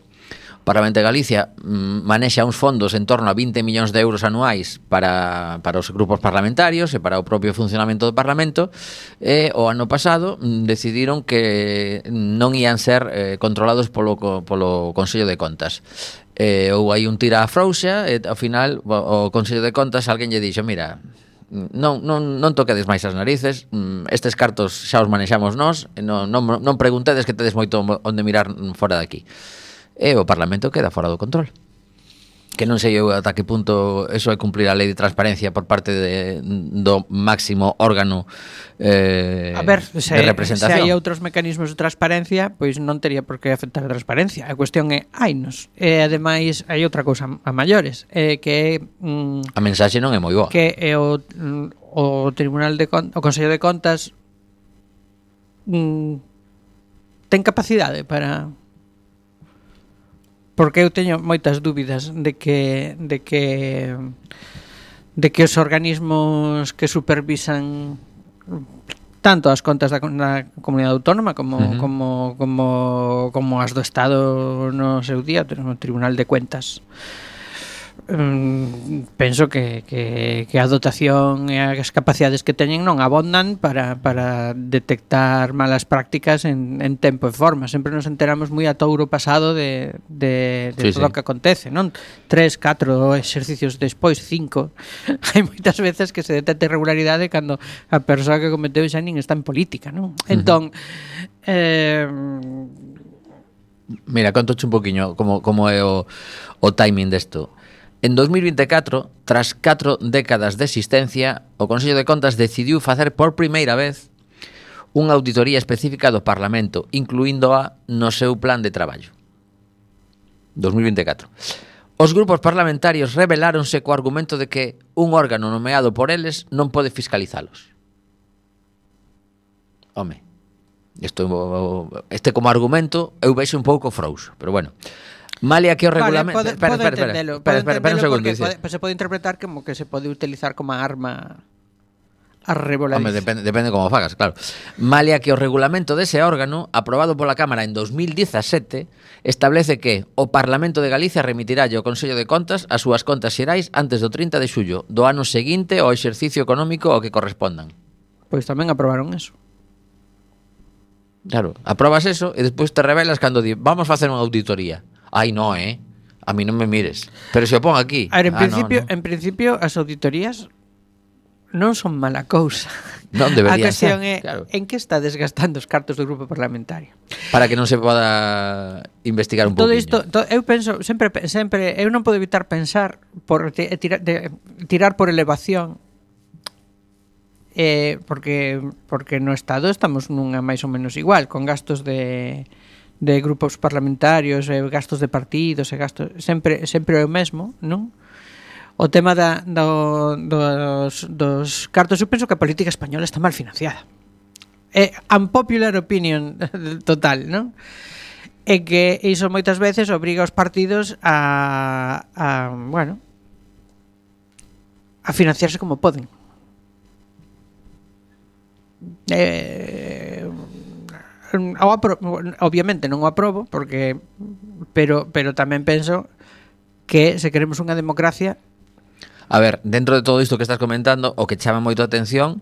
Parlamento de Galicia mm, manexa uns fondos en torno a vinte millóns de euros anuais para, para os grupos parlamentarios e para o propio funcionamento do Parlamento, e o ano pasado mm, decidiron que non ían ser eh, controlados polo, polo Consello de Contas. Eh, ou hai un tira a frouxa e ao final o, o Consello de Contas alguén lle dixo, mira, non, non, non toquedes máis as narices, estes cartos xa os manexamos nós, non, non, non preguntedes que tedes moito onde mirar fora de aquí. E o Parlamento queda fora do control. Que non sei eu ata que punto eso é cumplir a lei de transparencia por parte de, do máximo órgano eh, a ver, se, de representación. Se hai outros mecanismos de transparencia, pois non teria por que afectar a transparencia. A cuestión é, hainos. E ademais hai outra cousa a maiores, eh, que é mm, a mensaxe non é moi boa. Que é o, o Tribunal de Contas, o Consello de Contas mm, ten capacidade para... Porque eu teño moitas dúbidas de que de que de que os organismos que supervisan tanto as contas da, da comunidade autónoma como uh-huh. como como como as do Estado no seu día, o Tribunal de Cuentas. Um, penso que, que, que a dotación e as capacidades que teñen non abondan para, para detectar malas prácticas en, en tempo e forma. Sempre nos enteramos moi a touro pasado de, de, de sí, todo o sí. que acontece, non? Tres, catro exercicios despois, cinco. Hai moitas veces que se detecta irregularidade cando a persoa que cometeu xa nin está en política, non? Uh-huh. Entón, eh, mira, contoche un poquinho como, como é o, o timing desto. En dos mil vinte e catro, tras catro décadas de existencia, o Consello de Contas decidiu facer por primeira vez unha auditoría específica do Parlamento, incluíndoa no seu plan de traballo. dos mil vinte e catro. Os grupos parlamentarios rebeláronse co argumento de que un órgano nomeado por eles non pode fiscalizalos. Home, isto, este como argumento eu vexo un pouco frouxo, pero bueno... Malia que o regulamento... Vale, pode, pode entendelo, espera, espera, espera un segundo, pode, se pode interpretar como que se pode utilizar como arma a revoladiza. Home, depende, depende como fagas, claro. Malia que o regulamento dese órgano, aprobado pola Cámara en dos mil dezasete, establece que o Parlamento de Galicia remitirálle ao Consello de Contas as súas contas xerais antes do trinta de xullo do ano seguinte ao exercicio económico ao que correspondan. Pois tamén aprobaron eso. Claro, aprobas eso e despois te revelas cando di, vamos facer unha auditoría. Ai, no, eh? A mí non me mires. Pero se o pon aquí. A ver, en, ah, principio, no, no. en principio, as auditorías non son mala cousa. Non deberían ser. A cuestión ser, é, claro. En que está desgastando os cartos do grupo parlamentario? Para que non se poda investigar un todo poquinho. Isto, to, eu penso, sempre, sempre, eu non podo evitar pensar por te, tira, de, tirar por elevación, eh, porque porque no Estado estamos nunha máis ou menos igual, con gastos de de grupos parlamentarios, e gastos de partidos, e gastos sempre sempre é o mesmo, non? O tema da, do, dos, dos cartos, eu penso que a política española está mal financiada. É unpopular opinion total, non? É que iso moitas veces obriga os partidos a, a bueno, a financiarse como poden. Eh... Apro- obviamente non o aprobo porque pero pero tamén penso que se queremos unha democracia. A ver, dentro de todo isto que estás comentando, o que chama moito a atención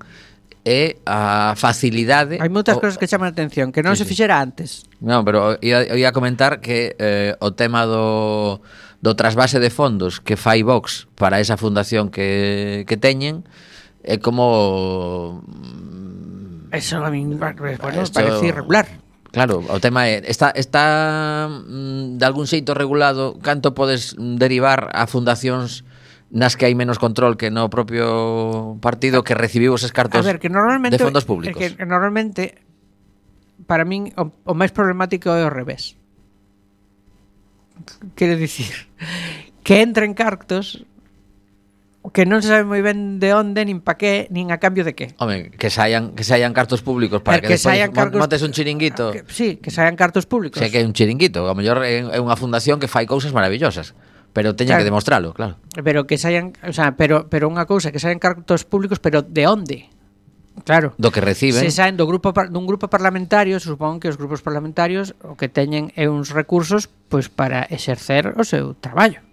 é a facilidade. Hai moitas o, cosas que chaman a atención que non sí, se sí. fixera antes. Non, pero ia, ia comentar que eh, o tema do do trasvase de fondos que fai Vox para esa fundación que que teñen é como eso a mí bueno, esto, parece irregular. Claro, o tema é está está mm, de algún xeito regulado canto podes derivar a fundacións nas que hai menos control que no propio partido que recibiu eses cartos a ver, que normalmente, de fondos públicos. Que, que normalmente para min o, o máis problemático é o revés. Quero dicir que entren cartos que non se sabe moi ben de onde, nin pa qué, nin a cambio de qué. Home, que saian que saian cartos públicos para que, que despois cargos, montes un chiringuito. Que, sí, que saian cartos públicos. Sei que é un chiringuito, a mellor é unha fundación que fai cousas maravillosas, pero teñen claro, que demostralo, claro. Pero que saian, o sea, pero pero unha cousa que saian cartos públicos, pero de onde? Claro. do que reciben. Se saen do grupo dun grupo parlamentario, supón que os grupos parlamentarios o que teñen é uns recursos pois para exercer o seu traballo.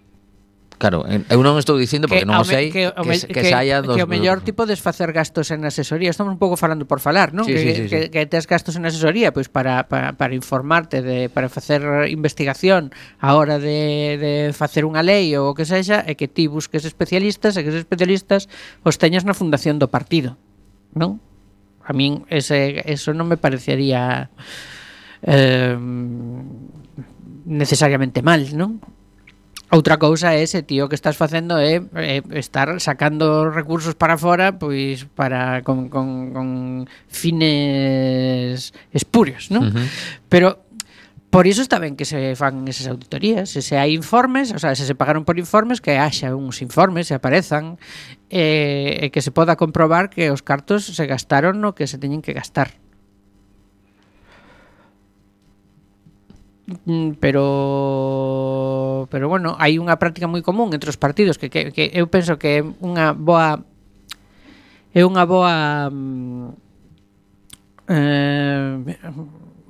Claro, eu non estou dicindo porque non o sei que, que, que, que saia dos... Que o mellor tipo desfacer gastos en asesoría. Estamos un pouco falando por falar, non? Sí, que, sí, sí, que, sí. que tes gastos en asesoría pois para, para, para informarte, de, para facer investigación a hora de, de facer unha lei ou o que sexa, e que ti busques especialistas e que esos especialistas os teñas na fundación do partido, non? A min ese, eso non me parecería eh, necesariamente mal, non? Outra cousa é ese tío que estás facendo é, é estar sacando recursos para fora pois para con, con, con fines espurios, non? Uh-huh. Pero por iso está ben que se fan esas auditorías, se, se hai informes, o sea, se se pagaron por informes, que haxa uns informes, se aparezan, e, e que se poda comprobar que os cartos se gastaron no que se teñen que gastar. Pero pero bueno, hai unha práctica moi común entre os partidos que, que, que eu penso que é unha boa é unha boa eh,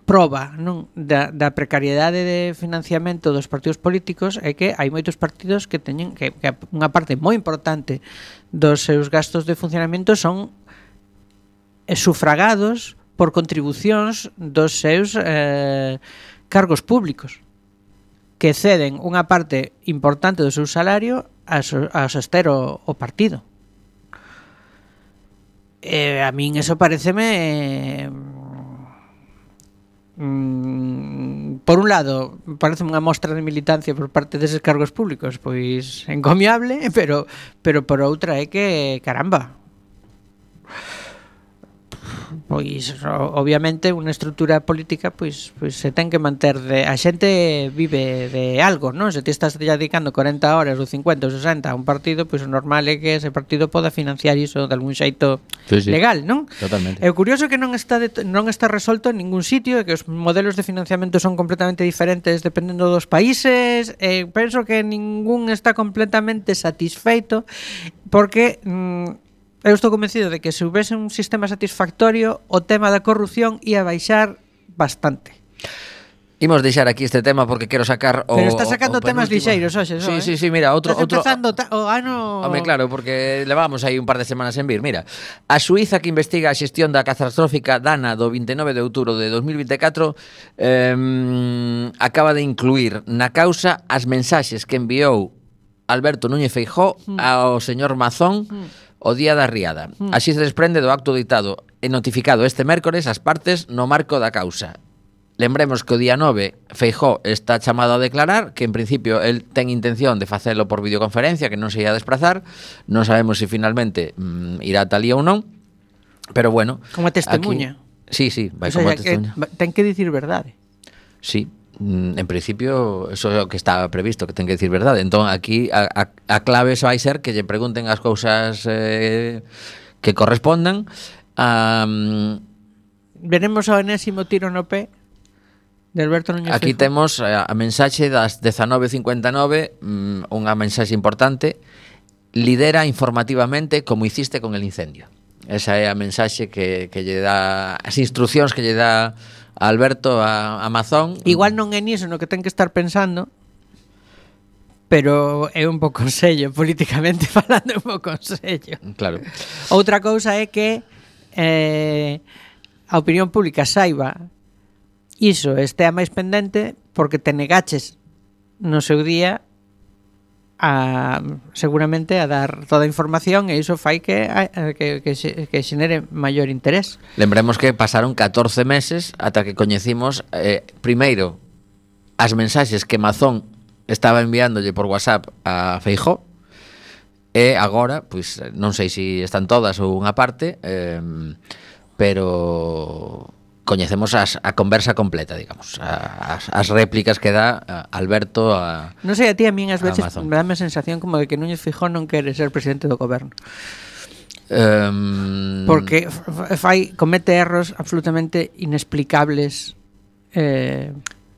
proba, non, da, da precariedade de financiamento dos partidos políticos, é que hai moitos partidos que teñen que, que unha parte moi importante dos seus gastos de funcionamento son sufragados por contribucións dos seus eh, cargos públicos, que ceden unha parte importante do seu salario a, so, a soster o, o partido. Eh, a min eso pareceme... Eh, mm, por un lado, parece unha mostra de militancia por parte deses cargos públicos, pois encomiable, pero, pero por outra é que, caramba... Pois obviamente unha estrutura política pois, pois se ten que manter de, a xente vive de algo, non? Se ti estás ya dedicando corenta horas ou cincuenta ou sesenta a un partido, pois o normal é que ese partido poda financiar iso de algún xeito sí, sí. legal, non? Totalmente. É curioso que non está de, non está resolto en ningún sitio, que os modelos de financiamento son completamente diferentes dependendo dos países, e penso que ningún está completamente satisfeito porque mmm, eu estou convencido de que se houvese un sistema satisfactorio, o tema da corrupción ia baixar bastante. Imos deixar aquí este tema porque quero sacar o... Pero está sacando o temas lixeiros hoxe, sí, eh? sí, sí, mira, outro... Estás outro... empezando ta- o ano... Home, claro, porque levamos aí un par de semanas en vir. Mira, a Suíza que investiga a xestión da catastrófica Dana do vinte e nove de outubro de dos mil vinte e catro eh, acaba de incluir na causa as mensaxes que enviou Alberto Núñez Feijóo mm. ao señor Mazón mm. o día da riada. Mm. Así se desprende do acto ditado e notificado este mércores as partes no marco da causa. Lembremos que o día nove Feijóo está chamado a declarar, que en principio el ten intención de facelo por videoconferencia, que non se ia desplazar. Non sabemos se finalmente mm, irá tal día ou non, pero bueno, como testemunha. Aquí, sí, sí, vai o sea, como testemunha. Que, ten que dicir verdade. Sí. En principio, eso é o que está previsto, que ten que dicir verdade. Entón, aquí a, a, a clave vai ser que lle pregunten as cousas eh, que correspondan. Um, Veremos o enésimo tiro no pé de Alberto Núñez Aquí Feijóo. temos a, a mensaxe das dezanove cincuenta e nove, um, unha mensaxe importante: lidera informativamente como hiciste con el incendio. Esa é a mensaxe que, que lle dá, as instruccións que lle dá Alberto a, a Mazón. Igual non é niso no que ten que estar pensando, pero é un pouco consello, políticamente falando, é un pouco consello. Claro. Outra cousa é que eh, a opinión pública saiba iso, estea máis pendente porque te negaches no seu día a, seguramente a dar toda a información, e iso fai que, que, que, que xenere maior interés. Lembremos que pasaron catorce meses ata que coñecimos eh, primeiro as mensaxes que Mazón estaba enviándolle por WhatsApp a Feijóo, e agora, pois non sei se están todas ou unha parte, eh, pero coñecemos as, a conversa completa, digamos, a, as, as réplicas que dá a Alberto a... Non sei, a ti a min ás veces me dá a sensación como de que Núñez Feijóo non quere ser presidente do goberno. Um... Porque fai, comete erros absolutamente inexplicables eh,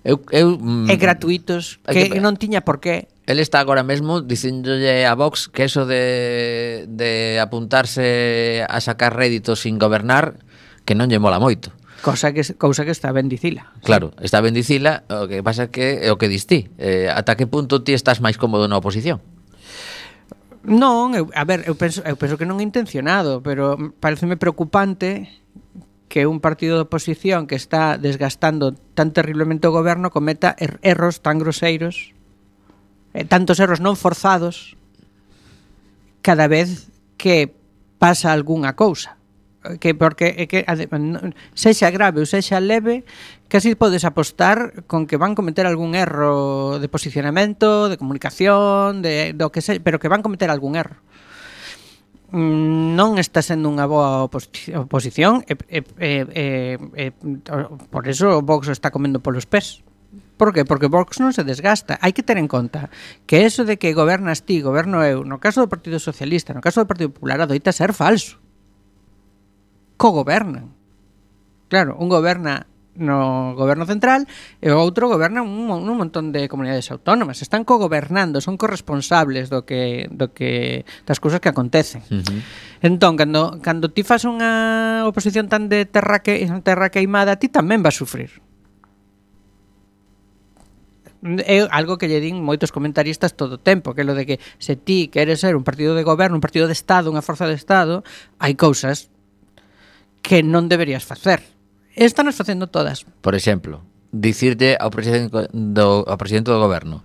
eu, eu, e gratuitos que, que non tiña por qué. él está agora mesmo dicíndolle a Vox que eso de, de apuntarse a sacar réditos sin gobernar, que non lle mola moito. Cosa que, cousa que está ben dicila. Claro, está ben dicila, o que pasa que é o que dis ti. Eh, ata que punto ti estás máis cómodo na oposición? Non, eu, a ver, eu penso, eu penso que non é intencionado, pero pareceme preocupante que un partido de oposición que está desgastando tan terriblemente o goberno cometa er erros tan groseiros, eh, tantos erros non forzados, cada vez que pasa algunha cousa. Que porque é que sexa grave ou sexa leve, casi podes apostar con que van cometer algún erro de posicionamento, de comunicación, de do que sei, pero que van cometer algún erro. Non está sendo unha boa oposición e, e, e, e, por eso o Vox está comendo polos pés. Por que? Porque Vox non se desgasta. Hai que ter en conta que eso de que gobernas ti, goberno eu, no caso do Partido Socialista, no caso do Partido Popular, adoita ser falso. Co-gobernan. Claro, un goberna no goberno central e o outro goberna un, un montón de comunidades autónomas. Están co-gobernando, son corresponsables do que do que das cousas que acontecen. Uh-huh. Entón, cando cando ti fas unha oposición tan de terra que terra queimada, ti tamén vas sufrir. É algo que lle din moitos comentaristas todo o tempo, que é lo de que se ti queres ser un partido de goberno, un partido de Estado, unha forza de Estado, hai cousas que non deberías facer. Estanos facendo todas. Por exemplo, dicirlle ao presidente do, ao presidente do goberno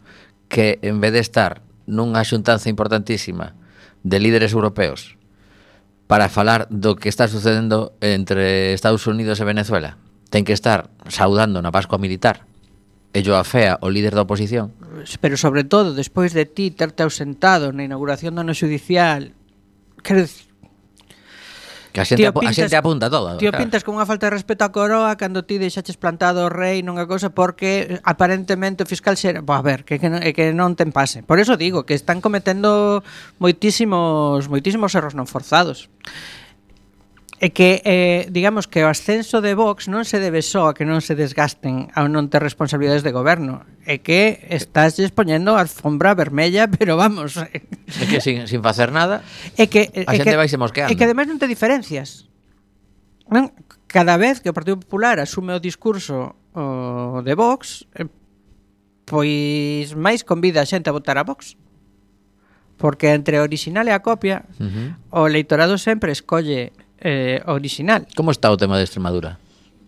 que en vez de estar nunha xuntanza importantísima de líderes europeos para falar do que está sucedendo entre Estados Unidos e Venezuela, ten que estar saudando na Pascua Militar e yo afea o líder da oposición. Pero sobre todo, despois de ti terte ausentado na inauguración do ano xudicial, quero dicir, que a xente, apu- pintas, a xente apunta todo. Tío, claro. Pintas con unha falta de respeto á coroa cando ti deixaches plantado o rei nunha cousa porque aparentemente o fiscal xera... Bo, a ver, que, que, non, que non ten pase. Por eso digo que están cometendo moitísimos moitísimos erros non forzados. É que, eh, digamos que o ascenso de Vox non se debe só a que non se desgasten ao non ter responsabilidades de goberno. É que estás expoñendo a alfombra vermella, pero vamos... É que sin, sin facer nada, é que, a é xente que, vai se mosqueando. É que ademais non te diferencias. Non? Cada vez que o Partido Popular asume o discurso o de Vox, eh, pois máis convida a xente a votar a Vox. Porque entre o original e a copia, uh-huh. o eleitorado sempre escolle eh, original. Como está o tema de Extremadura?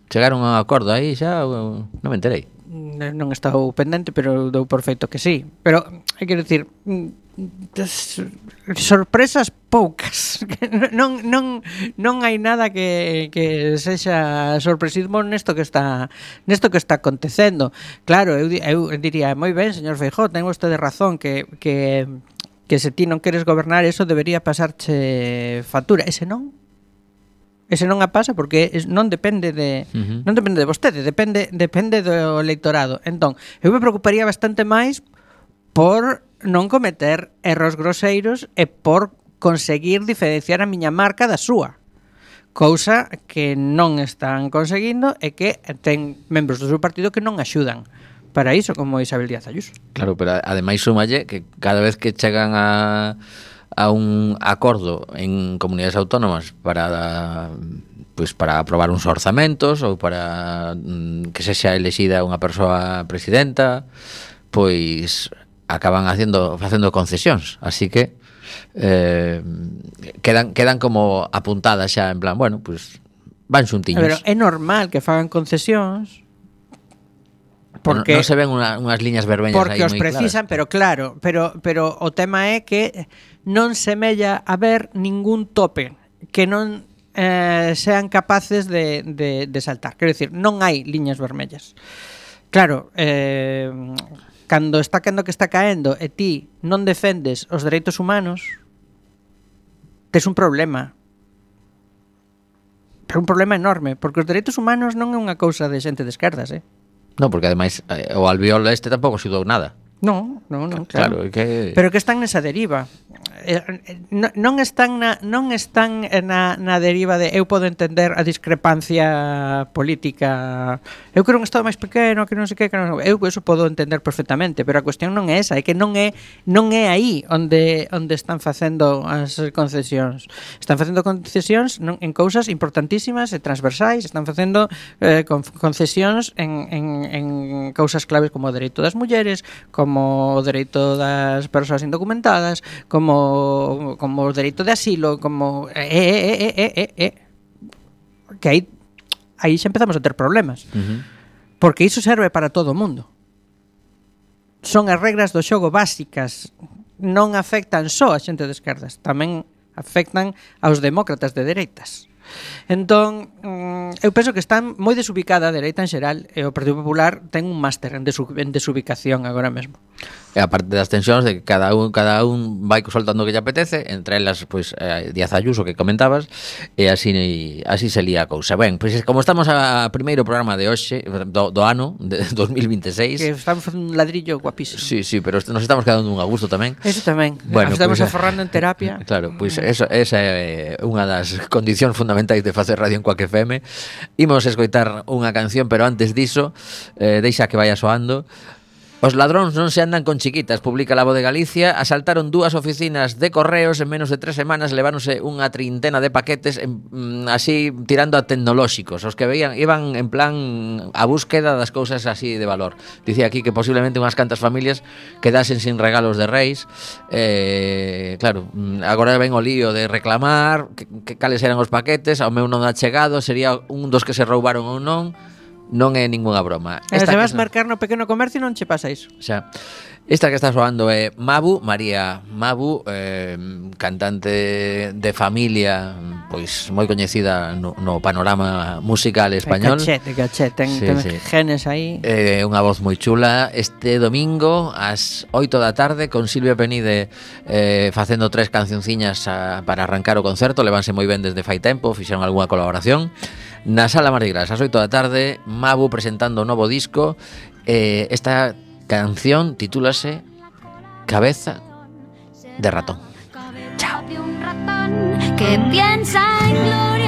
Chegaron a un acordo aí xa? Non me enterei. Non estou pendente, pero dou por feito que sí. Pero, hai que decir, sorpresas poucas. Non, non, non hai nada que, que sexa sorpresismo nesto que está nesto que está acontecendo. Claro, eu, eu diría, moi ben, señor Feijóo, ten vostede razón que, que, que se ti non queres gobernar, eso debería pasarche factura. Ese non. Ese non a pasa porque non depende de uh-huh. non depende de vostede, depende depende do eleitorado. Entón, eu me preocuparía bastante máis por non cometer erros groseiros e por conseguir diferenciar a miña marca da súa. Cousa que non están conseguindo e que ten membros do seu partido que non axudan para iso, como Isabel Díaz Ayuso. Claro, pero ademais sumalle que cada vez que chegan a a un acordo en comunidades autónomas para pues para aprobar uns orzamentos ou para mm, que sexa elexida unha persoa presidenta, pois acaban haciendo facendo concesións, así que eh, quedan quedan como apuntadas xa en plan, bueno, pues van xuntiños. Pero é normal que fagan concesións porque non, non se ven una, unhas liñas vermellas porque aí os moi precisan, claras. pero claro, pero pero o tema é que non semella haber ningún tope que non eh, sean capaces de, de, de saltar. Quero dicir, non hai liñas vermellas. Claro, eh, cando está caendo que está caendo e ti non defendes os dereitos humanos, tes un problema. Pero un problema enorme, porque os dereitos humanos non é unha cousa de xente de esquerdas, eh? No, porque ademais eh, o albiol este tampouco xudou nada. Non, non, non, claro. Claro, que... Pero que están nesa deriva. non, non están na non están na, na deriva de eu podo entender a discrepancia política. Eu quero un estado máis pequeno, que non sei que, que non, eu eso podo entender perfectamente, pero a cuestión non é esa, é que non é non é aí onde onde están facendo as concesións. Están facendo concesións non, en cousas importantísimas e transversais, están facendo eh, concesións en, en, en cousas claves como o dereito das mulleres, como o dereito das persoas indocumentadas, como como o dereito de asilo, como eh, eh, eh, eh, eh, eh. que aí aí xa empezamos a ter problemas. Uh-huh. Porque iso serve para todo o mundo. Son as regras do xogo básicas, non afectan só a xente de esquerdas, tamén afectan aos demócratas de dereitas. Entón, eu penso que están moi desubicada a dereita en xeral e o Partido Popular ten un máster en, desu- en desubicación agora mesmo. E aparte das tensións de que cada un cada un vai soltando o que lle apetece, entre elas pois eh, Díaz Ayuso que comentabas, e así así se lía a cousa. Ben, pois como estamos a primeiro programa de hoxe do, do ano de dos mil vinteseis, que estamos facendo un ladrillo guapísimo. Sí, sí, pero nos estamos quedando un a gusto tamén. Eso tamén. Bueno, estamos pues, aforrando en terapia. Claro, pois pues esa esa é unha das condicións fundamentais de facer radio en Quack F M. Imos escoitar unha canción, pero antes diso, eh, deixa que vaya soando. Os ladróns non se andan con chiquitas, publica La Voz de Galicia. Asaltaron dúas oficinas de correos en menos de tres semanas, leváronse unha trintena de paquetes en, así tirando a tecnolóxicos. Os que veían iban en plan a búsqueda das cousas así de valor. Dicía aquí que posiblemente unhas cantas familias quedasen sin regalos de reis. Eh, claro, agora ven o lío de reclamar que, que cales eran os paquetes, ao meu non ha chegado, sería un dos que se roubaron ou non. Non é ningunha broma. E se vas marcar no pequeno comercio non che pasa iso. Xa. Esta que está soando é Mabu, María Mabu, eh, cantante de familia, pois moi coñecida no, no panorama musical español. Cachet, cachet, ten, sí, ten sí. genes aí. Eh, unha voz moi chula. Este domingo ás oito da tarde con Silvia Penide eh, facendo tres cancionciñas a, para arrancar o concerto. Levanse moi ben desde fai tempo, fixeron algunha colaboración. Na Sala Mardi Gras, ás oito da tarde, Mabu presentando o novo disco. eh, Esta canción titúlase Cabeza de ratón. Chao. Que piensa en gloria.